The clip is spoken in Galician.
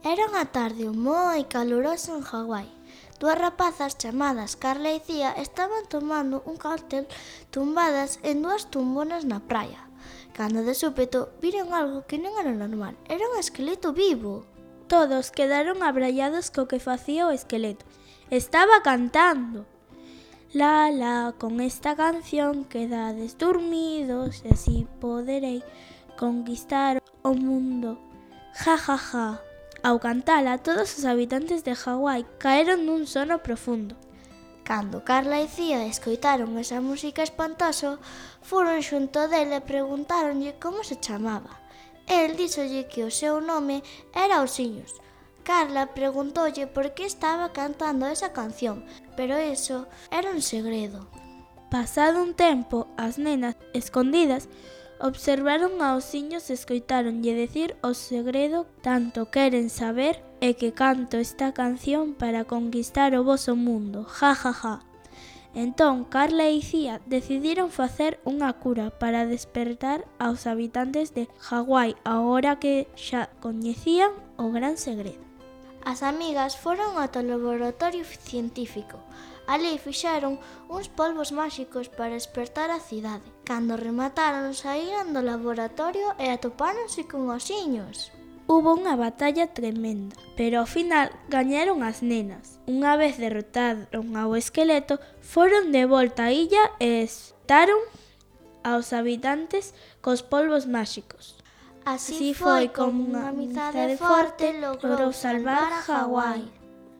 Era unha tarde moi calurosa en Hawái. Dúas rapazas chamadas Carla e Cía estaban tomando un cóctel tumbadas en dúas tumbonas na praia, cando de súpeto viron algo que non era normal. Era un esqueleto vivo. Todos quedaron abrallados co que facía o esqueleto. Estaba cantando. La, la, con esta canción quedades dormidos e así poderei conquistar o mundo. Ja, ja, ja. Ao cantala, todos os habitantes de Hawái caeron nun sono profundo. Cando Carla e Cía escoitaron esa música espantosa, foron xunto dele e preguntáronlle como se chamaba. El díxolle que o seu nome era Osiños. Carla preguntoulle por que estaba cantando esa canción, pero eso era un segredo. Pasado un tempo, as nenas, escondidas, observaron a Osiños e escoitáronlle decir o segredo tanto queren saber e que canto esta canción para conquistar o voso mundo, ja, ja, ja. Entón, Carla e Cía decidiron facer unha cura para despertar aos habitantes de Hawái agora que xa coñecían o gran segredo. As amigas foron ata o laboratorio científico. Ali fixeron uns polvos máxicos para despertar a cidade. Cando remataron, saíran do laboratorio e atopáronse con Osiños. Hubo unha batalla tremenda, pero ao final gañaron as nenas. Unha vez derrotaron ao esqueleto, foron de volta á illa e espetaron aos habitantes cos polvos máxicos. Así foi como unha amizade forte logrou salvar a Hawái.